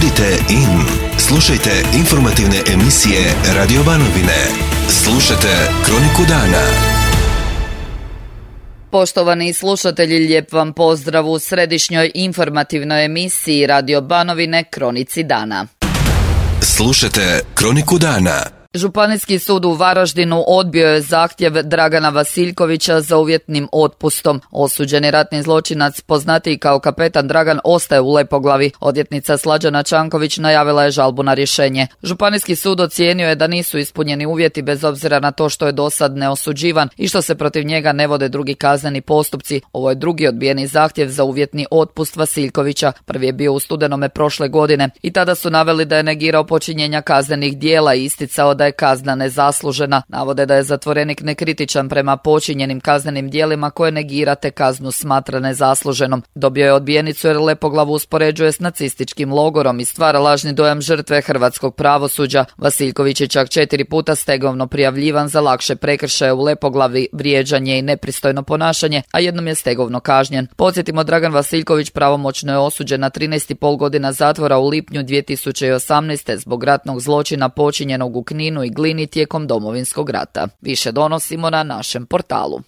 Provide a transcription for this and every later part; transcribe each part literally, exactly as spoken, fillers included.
Budite in. Slušajte informativne emisije Radio Banovine. Slušajte Kroniku dana. Poštovani slušatelji, lijep vam pozdrav u središnjoj informativnoj emisiji Radio Banovine Kronici dana. Slušajte Kroniku dana. Županijski sud u Varaždinu odbio je zahtjev Dragana Vasiljkovića za uvjetnim otpustom. Osuđeni ratni zločinac, poznatiji kao kapetan Dragan, ostaje u Lepoglavi. Odvjetnica Slađana Čanković najavila je žalbu na rješenje. Županijski sud ocijenio je da nisu ispunjeni uvjeti bez obzira na to što je dosad neosuđivan i što se protiv njega ne vode drugi kazneni postupci. Ovo je drugi odbijeni zahtjev za uvjetni otpust Vasiljkovića. Prvi je bio u studenome prošle godine i tada su naveli da je negirao počinjenja kaznenih dijela i isticao da je kazna nezaslužena. Navode da je zatvorenik nekritičan prema počinjenim kaznenim djelima koje negirate kaznu smatra nezasluženom. Dobio je odbijenicu jer Lepoglavu uspoređuje s nacističkim logorom i stvara lažni dojam žrtve hrvatskog pravosuđa. Vasiljković je čak četiri puta stegovno prijavljivan za lakše prekršaje u Lepoglavi, vrijeđanje i nepristojno ponašanje, a jednom je stegovno kažnjen. Podsjetimo, Dragan Vasiljković pravomoćno je osuđen na trinaest i pol godina zatvora u lipnju dvije tisuće osamnaeste zbog ratnog zločina počinjenog u Kninu i Glini tijekom Domovinskog rata. Više donosimo na našem portalu.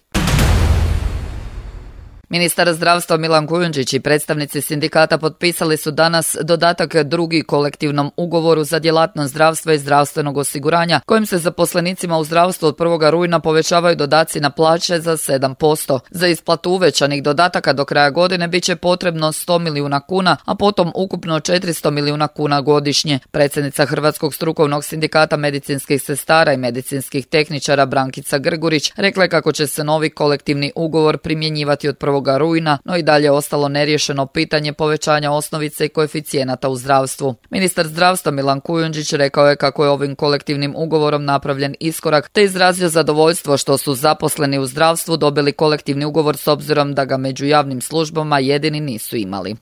Ministar zdravstva Milan Kujundžić i predstavnici sindikata potpisali su danas dodatak drugi kolektivnom ugovoru za djelatnost zdravstva i zdravstvenog osiguranja, kojim se zaposlenicima u zdravstvu od prvog rujna povećavaju dodaci na plaće za sedam posto. Za isplatu uvećanih dodataka do kraja godine bit će potrebno sto milijuna kuna, a potom ukupno četiristo milijuna kuna godišnje. Predsjednica Hrvatskog strukovnog sindikata medicinskih sestara i medicinskih tehničara Brankica Grgurić rekla je kako će se novi kolektivni ugovor primjenjivati od prvog rujna, no i dalje ostalo neriješeno pitanje povećanja osnovice i koeficijenata u zdravstvu. Ministar zdravstva Milan Kujundžić rekao je kako je ovim kolektivnim ugovorom napravljen iskorak, te izrazio zadovoljstvo što su zaposleni u zdravstvu dobili kolektivni ugovor s obzirom da ga među javnim službama jedini nisu imali.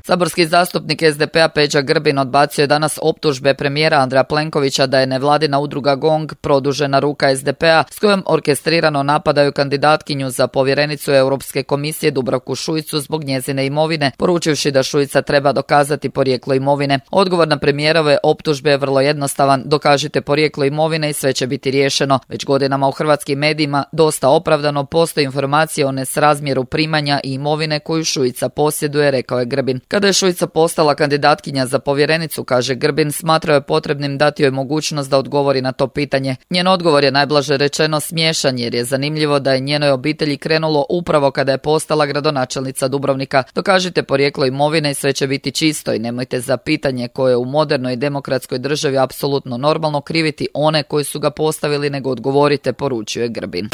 Saborski zastupnik es de pe a Peđa Grbin odbacio je danas optužbe premijera Andreja Plenkovića da je nevladina udruga GONG produžena ruka es de pe a s kojom orkestrirano napadaju kandidatkinju za povjerenicu Europske komisije Dubravku Šuicu zbog njezine imovine, poručivši da Šuica treba dokazati porijeklo imovine. Odgovor na premijerove optužbe je vrlo jednostavan: dokažite porijeklo imovine i sve će biti riješeno. Već godinama u hrvatskim medijima dosta opravdano postoji informacije o nesrazmjeru primanja i imovine koju Šuica posjeduje, rekao je Grbin. Kada je Šuica postala kandidatkinja za povjerenicu, kaže Grbin, smatrao je potrebnim dati joj mogućnost da odgovori na to pitanje. Njen odgovor je najblaže rečeno smiješan, jer je zanimljivo da je njenoj obitelji krenulo upravo kada je postala gradonačelnica Dubrovnika. Dokažite porijeklo imovine i sve će biti čisto i nemojte za pitanje koje je u modernoj demokratskoj državi apsolutno normalno kriviti one koji su ga postavili, nego odgovorite, poručio je Grbin.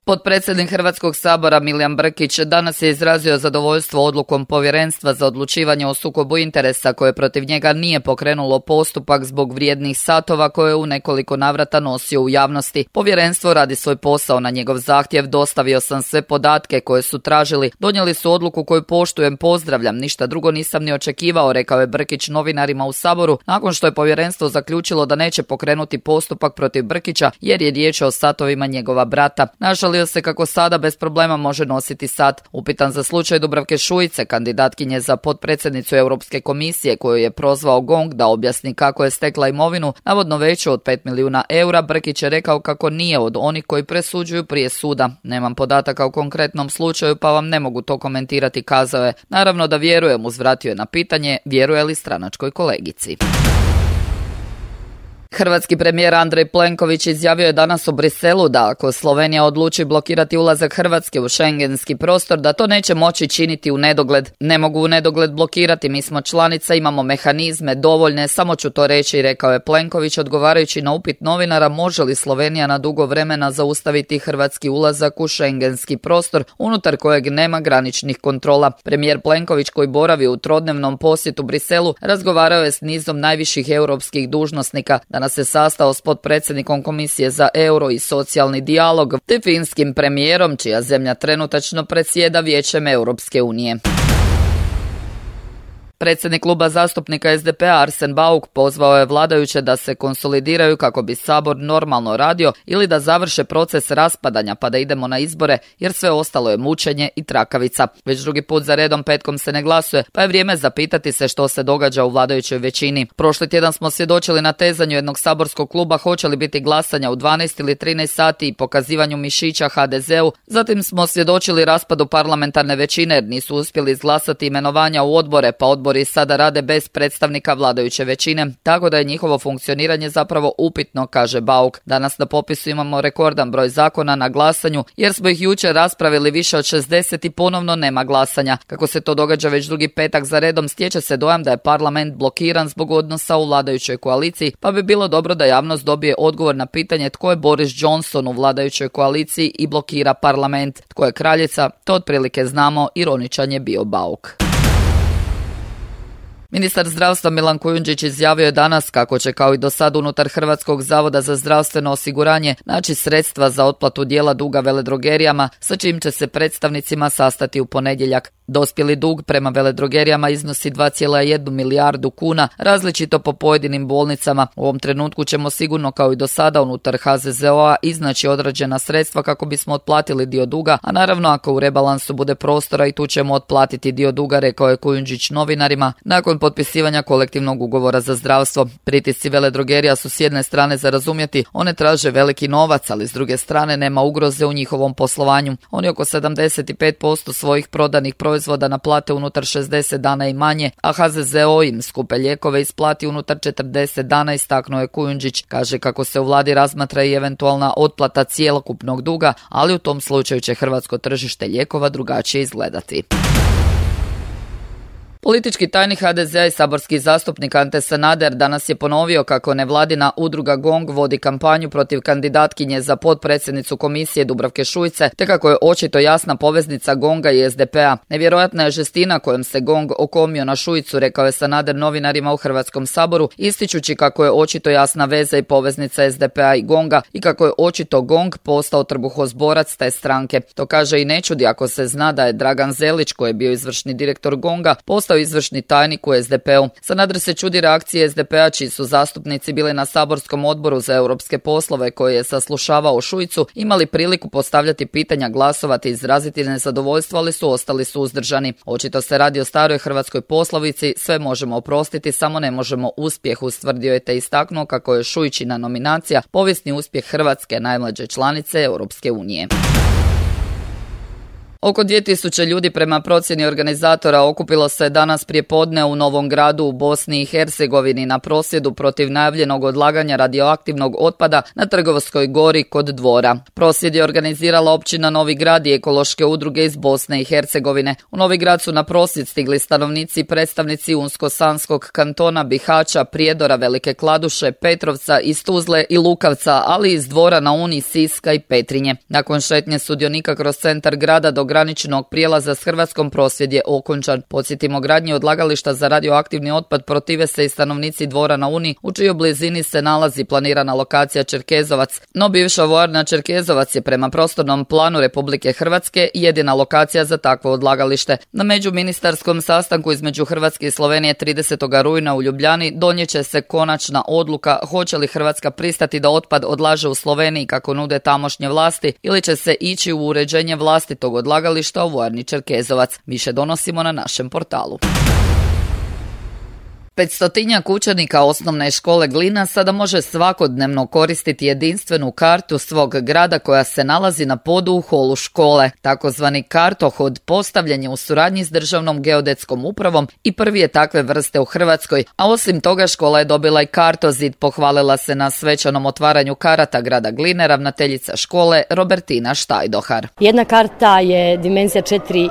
Potpredsjednik Hrvatskog sabora Milijan Brkić danas je izrazio zadovoljstvo odlukom Povjerenstva za odlučivanje o sukobu interesa koje protiv njega nije pokrenulo postupak zbog vrijednih satova koje je u nekoliko navrata nosio u javnosti. Povjerenstvo radi svoj posao na njegov zahtjev, dostavio sam sve podatke koje su tražili, donijeli su odluku koju poštujem, pozdravljam, ništa drugo nisam ni očekivao, rekao je Brkić novinarima u Saboru nakon što je povjerenstvo zaključilo da neće pokrenuti postupak protiv Brkića jer je riječ o satovima njegova brata. Našalio se kako sada bez problema može nositi sat. Upitan za slučaj Dubravke Šuice, kandidatkinje za potpredsjednicu Europske komisije koju je prozvao GONG da objasni kako je stekla imovinu, navodno veću od pet milijuna eura, Brkić je rekao kako nije od onih koji presuđuju prije suda. Nemam podataka u konkretnom slučaju pa vam ne mogu to komentirati, kazao je. Naravno da vjerujem, uzvratio je na pitanje vjeruje li stranačkoj kolegici. Hrvatski premijer Andrej Plenković izjavio je danas u Briselu da ako Slovenija odluči blokirati ulazak Hrvatske u šengenski prostor, da to neće moći činiti u nedogled. Ne mogu u nedogled blokirati, mi smo članica, imamo mehanizme dovoljne, samo ću to reći, rekao je Plenković odgovarajući na upit novinara može li Slovenija na dugo vremena zaustaviti hrvatski ulazak u šengenski prostor unutar kojeg nema graničnih kontrola. Premijer Plenković, koji boravi u trodnevnom posjetu Briselu, razgovarao je s nizom najviših europskih dužnosnika. Danas se sastao s potpredsjednikom Komisije za euro i socijalni dijalog te finskim premijerom, čija zemlja trenutačno predsjeda Vijećem Europske unije. Predsjednik kluba zastupnika es de pe a Arsen Bauk pozvao je vladajuće da se konsolidiraju kako bi Sabor normalno radio ili da završe proces raspadanja pa da idemo na izbore, jer sve ostalo je mučenje i trakavica. Već drugi put za redom petkom se ne glasuje, pa je vrijeme zapitati se što se događa u vladajućoj većini. Prošli tjedan smo svjedočili natezanju jednog saborskog kluba hoće li biti glasanja u dvanaest ili trinaest sati i pokazivanju mišića ha de zeu. Zatim smo svjedočili raspadu parlamentarne većine jer nisu uspjeli izglasati imenovanja u odbore, pa odbori sada rade bez predstavnika vladajuće većine, tako da je njihovo funkcioniranje zapravo upitno, kaže Bauk. Danas na popisu imamo rekordan broj zakona na glasanju jer smo ih jučer raspravili više od šezdeset i ponovno nema glasanja. Kako se to događa već drugi petak za redom, stječe se dojam da je parlament blokiran zbog odnosa u vladajućoj koaliciji, pa bi bilo dobro da javnost dobije odgovor na pitanje tko je Boris Johnson u vladajućoj koaliciji i blokira parlament. Tko je kraljica, to otprilike znamo, ironičan je bio Bauk. Ministar zdravstva Milan Kujundžić izjavio je danas kako će kao i do sad unutar Hrvatskog zavoda za zdravstveno osiguranje naći sredstva za otplatu dijela duga veledrogerijama, sa čim će se predstavnicima sastati u ponedjeljak. Dospjeli dug prema veledrogerijama iznosi dva zarez jedna milijardu kuna, različito po pojedinim bolnicama. U ovom trenutku ćemo sigurno kao i do sada unutar ha ze ze o a iznaći određena sredstva kako bismo otplatili dio duga, a naravno ako u rebalansu bude prostora i tu ćemo otplatiti dio duga, rekao je Kujundžić novinarima nakon potpisivanja kolektivnog ugovora za zdravstvo. Pritisci veledrogerija su s jedne strane za razumjeti, one traže veliki novac, ali s druge strane nema ugroze u njihovom poslovanju. Oni oko sedamdeset pet posto svojih prodanih proizvoda naplate unutar šezdeset dana i manje, a ha ze ze o im skupe lijekove isplati unutar četrdeset dana, istaknuo je Kujundžić. Kaže kako se u vladi razmatra i eventualna otplata cjelokupnog duga, ali u tom slučaju će hrvatsko tržište lijekova drugačije izgledati. Politički tajnik ha de ze a i saborski zastupnik Ante Sanader danas je ponovio kako nevladina udruga GONG vodi kampanju protiv kandidatkinje za potpredsjednicu komisije Dubravke Šuice, te kako je očito jasna poveznica GONG-a i es de pe a. Nevjerojatna je žestina kojom se GONG okomio na Šuicu, rekao je Sanader novinarima u Hrvatskom saboru, ističući kako je očito jasna veza i poveznica es de pe a i GONG-a i kako je očito GONG postao trbuhozborac te stranke. To kaže i ne čudi ako se zna da je Dragan Zelić, koji je bio izvršni direktor GONG-a, postao izvršni tajnik u es de pe u. Sanader se čudi reakcije es de pe a, čiji su zastupnici bili na saborskom odboru za europske poslove koji je saslušavao Šuicu, imali priliku postavljati pitanja, glasovati i izraziti nezadovoljstvo, ali su ostali suzdržani. Očito se radi o staroj hrvatskoj poslovici, sve možemo oprostiti, samo ne možemo uspjeh, ustvrdio je te istaknuo kako je Šuićina nominacija povijesni uspjeh Hrvatske, najmlađe članice Europske unije. Oko dvije tisuće ljudi prema procjeni organizatora okupilo se danas prijepodne u Novom Gradu u Bosni i Hercegovini na prosvjedu protiv najavljenog odlaganja radioaktivnog otpada na Trgovskoj gori kod Dvora. Prosvjed je organizirala općina Novi Grad i ekološke udruge iz Bosne i Hercegovine. U Novi Grad su na prosvjed stigli stanovnici i predstavnici Unsko-Sanskog kantona, Bihaća, Prijedora, Velike Kladuše, Petrovca, iz Tuzle i Lukavca, ali iz Dvora na Uni, Siska i Petrinje. Nakon šetnje sudionika kroz centar grada do graničnog prijelaza s Hrvatskom prosvjed je okončan. Podsjetimo, gradnji odlagališta za radioaktivni otpad protive se i stanovnici Dvora na Uni, u čijoj blizini se nalazi planirana lokacija Čerkezovac. No bivša vojarna Čerkezovac je prema prostornom planu Republike Hrvatske jedina lokacija za takvo odlagalište. Na međuministarskom sastanku između Hrvatske i Slovenije tridesetog rujna u Ljubljani donijet će se konačna odluka hoće li Hrvatska pristati da otpad odlaže u Sloveniji kako nude tamošnje vlasti ili će se ići u uređenje vlastitog odlagališta u vojarni Čerkezovac. Više donosimo na našem portalu. Petstotinjak učenika osnovne škole Glina sada može svakodnevno koristiti jedinstvenu kartu svog grada koja se nalazi na podu u holu škole. Takozvani kartohod postavljen je u suradnji s Državnom geodetskom upravom i prvi je takve vrste u Hrvatskoj, a osim toga škola je dobila i kartozid, pohvalila se na svečanom otvaranju karata grada Gline ravnateljica škole Robertina Štajdohar. Jedna karta je dimenzija četiri e,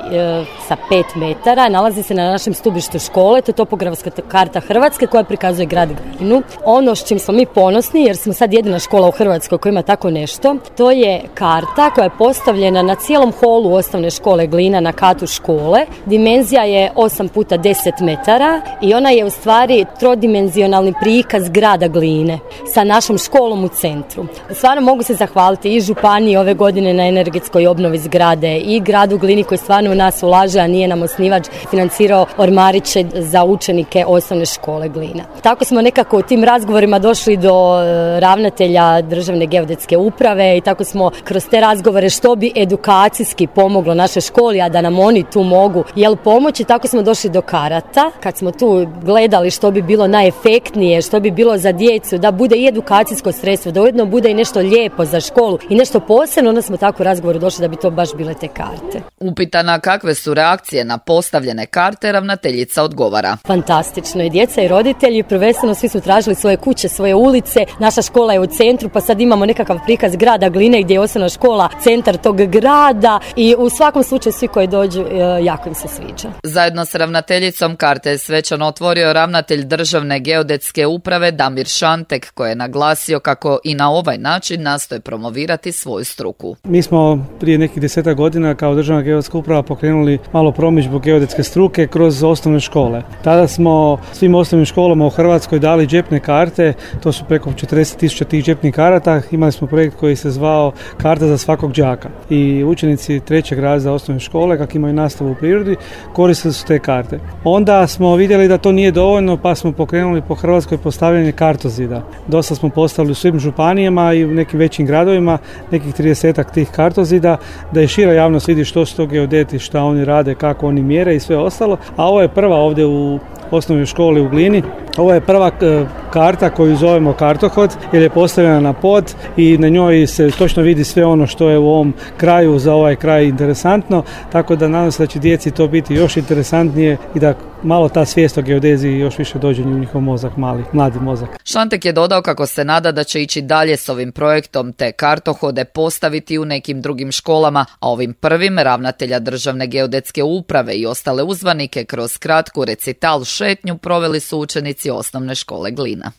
sa pet metara, nalazi se na našem stubištu škole, to je topografska karta karta Hrvatske koja prikazuje grad Glinu. Ono s čim smo mi ponosni, jer smo sad jedina škola u Hrvatskoj koja ima tako nešto, to je karta koja je postavljena na cijelom holu osnovne škole Glina na katu škole. Dimenzija je osam puta deset metara i ona je u stvari trodimenzionalni prikaz grada Gline sa našom školom u centru. Stvarno mogu se zahvaliti i županiji ove godine na energetskoj obnovi zgrade i gradu Glini koji stvarno u nas ulaže, a nije nam osnivač, financirao ormariće za učenike osnovne škole Glina. Tako smo nekako u tim razgovorima došli do ravnatelja Državne geodetske uprave i tako smo kroz te razgovore što bi edukacijski pomoglo našoj školi, a da nam oni tu mogu jel pomoći, tako smo došli do karata. Kad smo tu gledali što bi bilo najefektnije, što bi bilo za djecu, da bude i edukacijsko sredstvo, da ujedno bude i nešto lijepo za školu i nešto posebno, onda smo tako u razgovoru došli da bi to baš bile te karte. Upitana kakve su reakcije na postavljene karte, ravnateljica odgovara. Fantastično, i djeca i roditelji, prvenstveno svi su tražili svoje kuće, svoje ulice, naša škola je u centru, pa sad imamo nekakav prikaz grada Gline gdje je osnovna škola centar tog grada i u svakom slučaju svi koji dođu jako im se sviđa. Zajedno s ravnateljicom karte je svečano otvorio ravnatelj Državne geodetske uprave Damir Šantek, koji je naglasio kako i na ovaj način nastoje promovirati svoju struku. Mi smo prije nekih desetak godina kao Državna geodetska uprava pokrenuli malo promidžbu geodetske struke kroz osnovne škole. Tada smo svim osnovnim školama u Hrvatskoj dali džepne karte, to su preko četrdeset tisuća tih džepnih karata. Imali smo projekt koji se zvao Karta za svakog đaka i učenici trećeg razreda osnovne škole, kako imaju nastavu u prirodi, koristili su te karte. Onda smo vidjeli da to nije dovoljno, pa smo pokrenuli po Hrvatskoj postavljanje kartozida. Dosta smo postavili u svim županijama i u nekim većim gradovima, nekih tridesetak tih kartozida, da je šira javnost vidi što su to geodeti, šta oni rade, kako oni mjere i sve ostalo. A ovo je prva ovdje u osnovnoj školi u Glini. Ovo je prva e, karta koju zovemo kartohod, jer je postavljena na pod i na njoj se točno vidi sve ono što je u ovom kraju za ovaj kraj interesantno, tako da nadam se da će djeci to biti još interesantnije i da malo ta svijest o geodeziji još više dođe u njihov mozak, mali, mladi mozak. Šantek je dodao kako se nada da će ići dalje s ovim projektom te kartohode postaviti u nekim drugim školama, a ovim prvim ravnatelja Državne geodetske uprave i ostale uzvanike kroz kratku recital šetnju proveli su učenici osnovne škole Glina.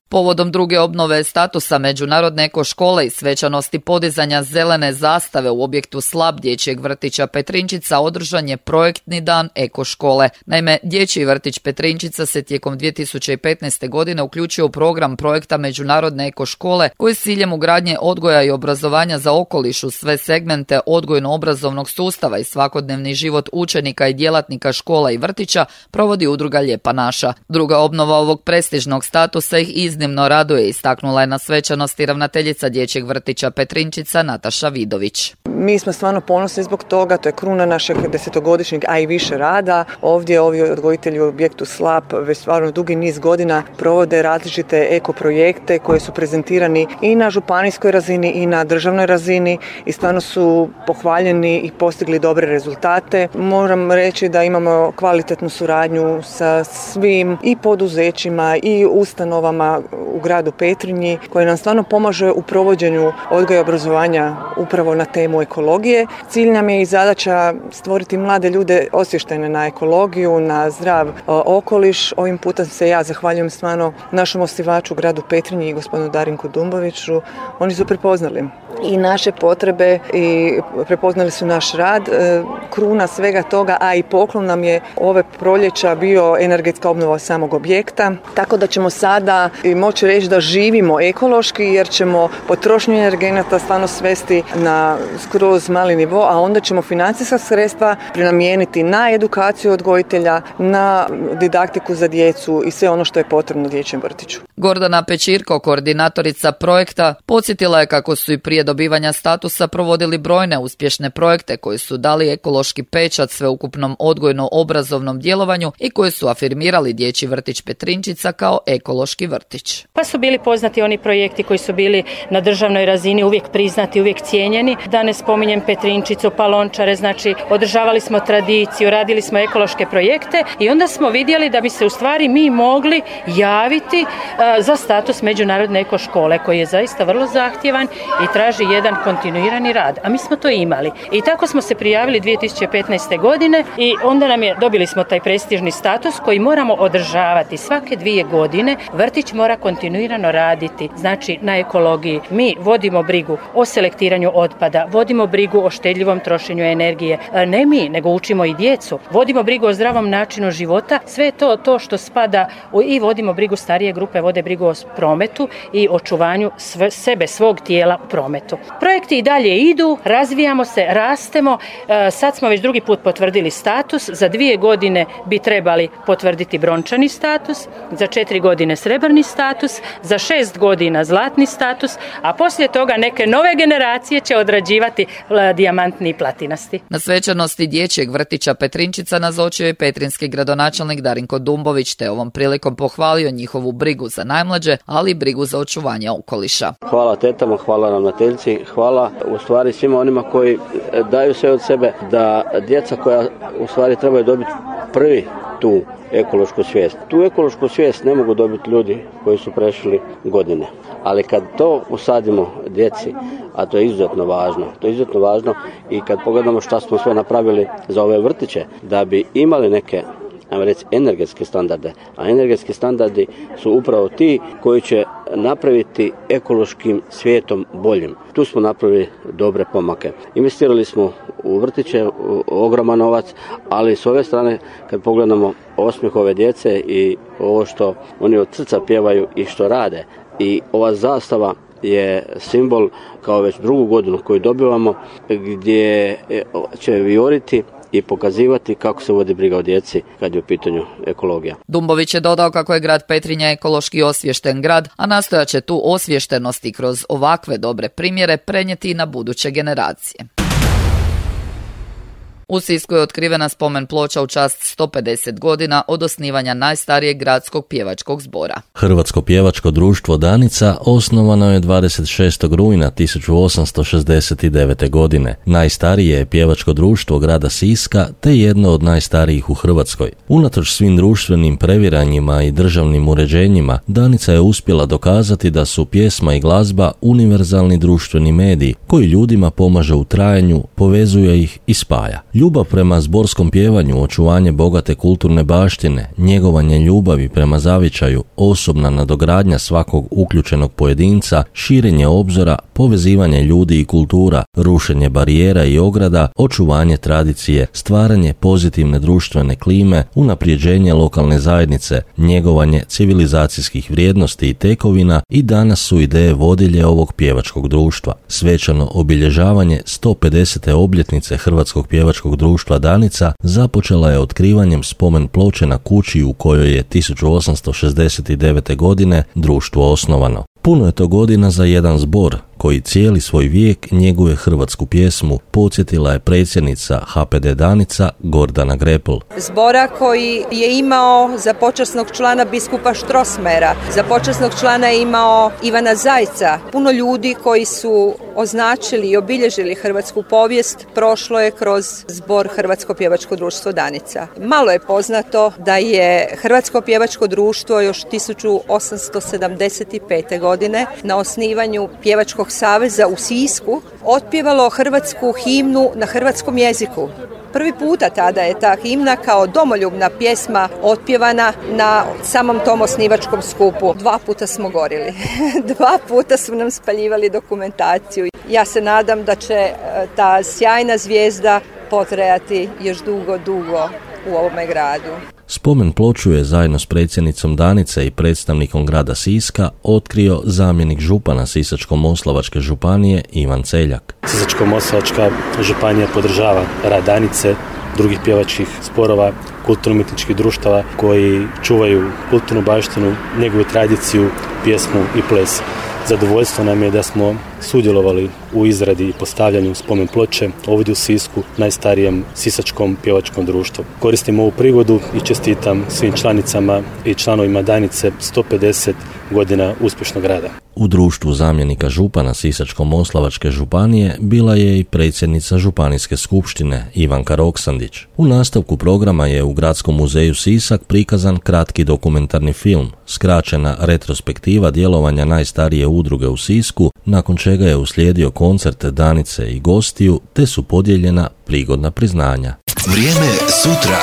Povodom druge obnove statusa Međunarodne eko škole i svečanosti podizanja zelene zastave u objektu slab dječjeg vrtića Petrinčica održan je projektni dan eko škole. Naime, dječji vrtić Petrinčica se tijekom dvije tisuće petnaeste. godine uključio u program projekta Međunarodne eko škole koji s ciljem ugradnje odgoja i obrazovanja za okoliš u sve segmente odgojno-obrazovnog sustava i svakodnevni život učenika i djelatnika škola i vrtića provodi udruga Lijepa naša. Druga obnova ovog prestižnog statusa ih iznimno Iznimno raduje, istaknula je na svečanosti ravnateljica dječjeg vrtića Petrinčica Nataša Vidović. Mi smo stvarno ponosni zbog toga, to je kruna našeg desetogodišnjeg, a i više rada. Ovdje ovi odgojitelji u objektu Slap već stvarno dugi niz godina provode različite eko projekte koji su prezentirani i na županijskoj razini i na državnoj razini i stvarno su pohvaljeni i postigli dobre rezultate. Moram reći da imamo kvalitetnu suradnju sa svim i poduzećima i ustanovama u gradu Petrinji koji nam stvarno pomaže u provođenju odgoja i obrazovanja upravo na temu ekologije. Cilj nam je i zadaća stvoriti mlade ljude osviještene na ekologiju, na zdrav okoliš. Ovim putem se ja zahvaljujem stvarno našem osnivaču gradu Petrinji i gospodinu Darinku Dumboviću. Oni su prepoznali i naše potrebe i prepoznali su naš rad. Kruna svega toga, a i poklon nam je ove proljeća bio energetska obnova samog objekta. Tako da ćemo sada moći reći da živimo ekološki jer ćemo potrošnju energenata stvarno svesti na skroz mali nivo, a onda ćemo financijska sredstva prenamijeniti na edukaciju odgojitelja, na didaktiku za djecu i sve ono što je potrebno dječjem vrtiću. Gordana Pečirko, koordinatorica projekta, podsjetila je kako su i prije dobivanja statusa provodili brojne uspješne projekte koji su dali ekološki pečat sveukupnom odgojno-obrazovnom djelovanju i koji su afirmirali dječji vrtić Petrinčica kao ekološki vrtić. Pa su bili poznati oni projekti koji su bili na državnoj razini uvijek priznati, uvijek cijenjeni. Da ne spominjem Petrinčicu, Palončare, znači održavali smo tradiciju, radili smo ekološke projekte i onda smo vidjeli da bi se u stvari mi mogli javiti uh, za status Međunarodne eko škole koji je zaista vrlo zahtjevan i traži traži jedan kontinuirani rad, a mi smo to imali. I tako smo se prijavili dvije tisuće petnaeste. godine i onda nam je, dobili smo taj prestižni status koji moramo održavati svake dvije godine. Vrtić mora kontinuirano raditi, znači na ekologiji. Mi vodimo brigu o selektiranju otpada, vodimo brigu o štedljivom trošenju energije. Ne mi, nego učimo i djecu. Vodimo brigu o zdravom načinu života. Sve to, to što spada u, i vodimo brigu, starije grupe vode brigu o prometu i očuvanju sve, sebe, svog tijela u prometu. Projekti i dalje idu, razvijamo se, rastemo. E, sad smo već drugi put potvrdili status. Za dvije godine bi trebali potvrditi brončani status, za četiri godine srebrni status, za šest godina zlatni status, a poslije toga neke nove generacije će odrađivati dijamantni i platinasti. Na svečanosti dječjeg vrtića Petrinčica nazočio je petrinski gradonačelnik Darinko Dumbović, te ovom prilikom pohvalio njihovu brigu za najmlađe, ali i brigu za očuvanje okoliša. Hvala tetama, hvala ravnateljci, hvala u stvari svima onima koji daju sve od sebe da djeca koja u stvari trebaju dobiti prvi tu ekološku svijest. Tu ekološku svijest ne mogu dobiti ljudi koji su prešli godine. Ali kad to usadimo djeci, a to je izuzetno važno, to je izuzetno važno i kad pogledamo šta smo sve napravili za ove vrtiće, da bi imali neke, ajmo reći, energetske standarde, a energetski standardi su upravo ti koji će napraviti ekološkim svijetom boljim. Tu smo napravili dobre pomake. Investirali smo u vrtiće ogroman novac, ali s ove strane kad pogledamo osmijeh ove djece i ovo što oni od srca pjevaju i što rade, i ova zastava je simbol kao već drugu godinu koju dobivamo, gdje će vijoriti i pokazivati kako se vodi briga o djeci kad je u pitanju ekologija. Dumbović je dodao kako je grad Petrinja ekološki osviješten grad, a nastojat će tu osviještenost i kroz ovakve dobre primjere prenijeti i na buduće generacije. U Sisku je otkrivena spomen ploča u čast sto pedeset godina od osnivanja najstarijeg gradskog pjevačkog zbora. Hrvatsko pjevačko društvo Danica osnovano je dvadeset šestog rujna tisuću osamsto šezdeset devete. godine. Najstarije je pjevačko društvo grada Siska te jedno od najstarijih u Hrvatskoj. Unatoč svim društvenim previranjima i državnim uređenjima, Danica je uspjela dokazati da su pjesma i glazba univerzalni društveni mediji koji ljudima pomaže u trajanju, povezuje ih i spaja. Ljubav prema zborskom pjevanju, očuvanje bogate kulturne baštine, njegovanje ljubavi prema zavičaju, osobna nadogradnja svakog uključenog pojedinca, širenje obzora, povezivanje ljudi i kultura, rušenje barijera i ograda, očuvanje tradicije, stvaranje pozitivne društvene klime, unaprijeđenje lokalne zajednice, njegovanje civilizacijskih vrijednosti i tekovina i danas su ideje vodilje ovog pjevačkog društva. Svečano obilježavanje sto pedesete obljetnice Hrvatskog pjevačkog društva Danica započela je otkrivanjem spomen ploče na kući u kojoj je tisuću osamsto šezdeset devete. godine društvo osnovano. Puno je to godina za jedan zbor koji cijeli svoj vijek njeguje hrvatsku pjesmu, podsjetila je predsjednica H P D Danica Gordana Grepl. Zbora koji je imao za počasnog člana biskupa Štrosmera, za počasnog člana je imao Ivana Zajca. Puno ljudi koji su označili i obilježili hrvatsku povijest prošlo je kroz zbor Hrvatsko pjevačko društvo Danica. Malo je poznato da je Hrvatsko pjevačko društvo još tisuću osamsto sedamdeset pete. godine na osnivanju Pjevačkog saveza u Sisku otpjevalo hrvatsku himnu na hrvatskom jeziku. Prvi puta tada je ta himna kao domoljubna pjesma otpjevana na samom tom osnivačkom skupu. Dva puta smo gorili. Dva puta su nam spaljivali dokumentaciju. Ja se nadam da će ta sjajna zvijezda potrajati još dugo, dugo u ovome gradu. Spomen ploču je zajedno s predsjednicom Danice i predstavnikom grada Siska otkrio zamjenik župana Sisačko-moslavačke županije Ivan Celjak. Sisačko-moslavačka županija podržava rad Danice, drugih pjevačkih zborova, kulturno-umjetničkih društava koji čuvaju kulturnu baštinu, njegovu tradiciju, pjesmu i ples. Zadovoljstvo nam je da smo sudjelovali u izradi i postavljanju spomen ploče ovdje u Sisku, najstarijem sisačkom pjevačkom društvu. Koristim ovu prigodu i čestitam svim članicama i članovima Danice sto pedeset godina uspješnog rada. U društvu zamjenika župana Sisačko-moslavačke županije bila je i predsjednica županijske skupštine Ivanka Roksandić. U nastavku programa je u Gradskom muzeju Sisak prikazan kratki dokumentarni film, skraćena retrospektiva djelovanja najstarije udruge u Sisku, nakon čega čega je uslijedio koncert Danice i gostiju, te su podijeljena prigodna priznanja. Vrijeme sutra.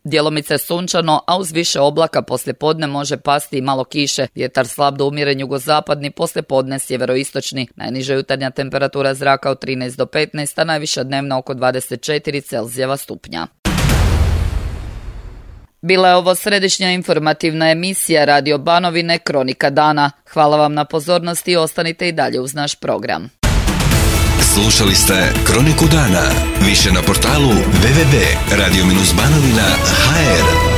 Djelomice sunčano, a uz više oblaka poslijepodne može pasti i malo kiše. Vjetar slab do umjeren jugozapadni, poslijepodne sjeveroistočni. Najniža jutarnja temperatura zraka od trinaest do petnaest, a najviša dnevna oko dvadeset četiri Celzijeva stupnja. Bila je ovo središnja informativna emisija Radio Banovine Kronika dana. Hvala vam na pozornosti i ostanite i dalje uz naš program. Slušali ste Kroniku dana. Više na portalu w w w tačka radio banovina tačka h r.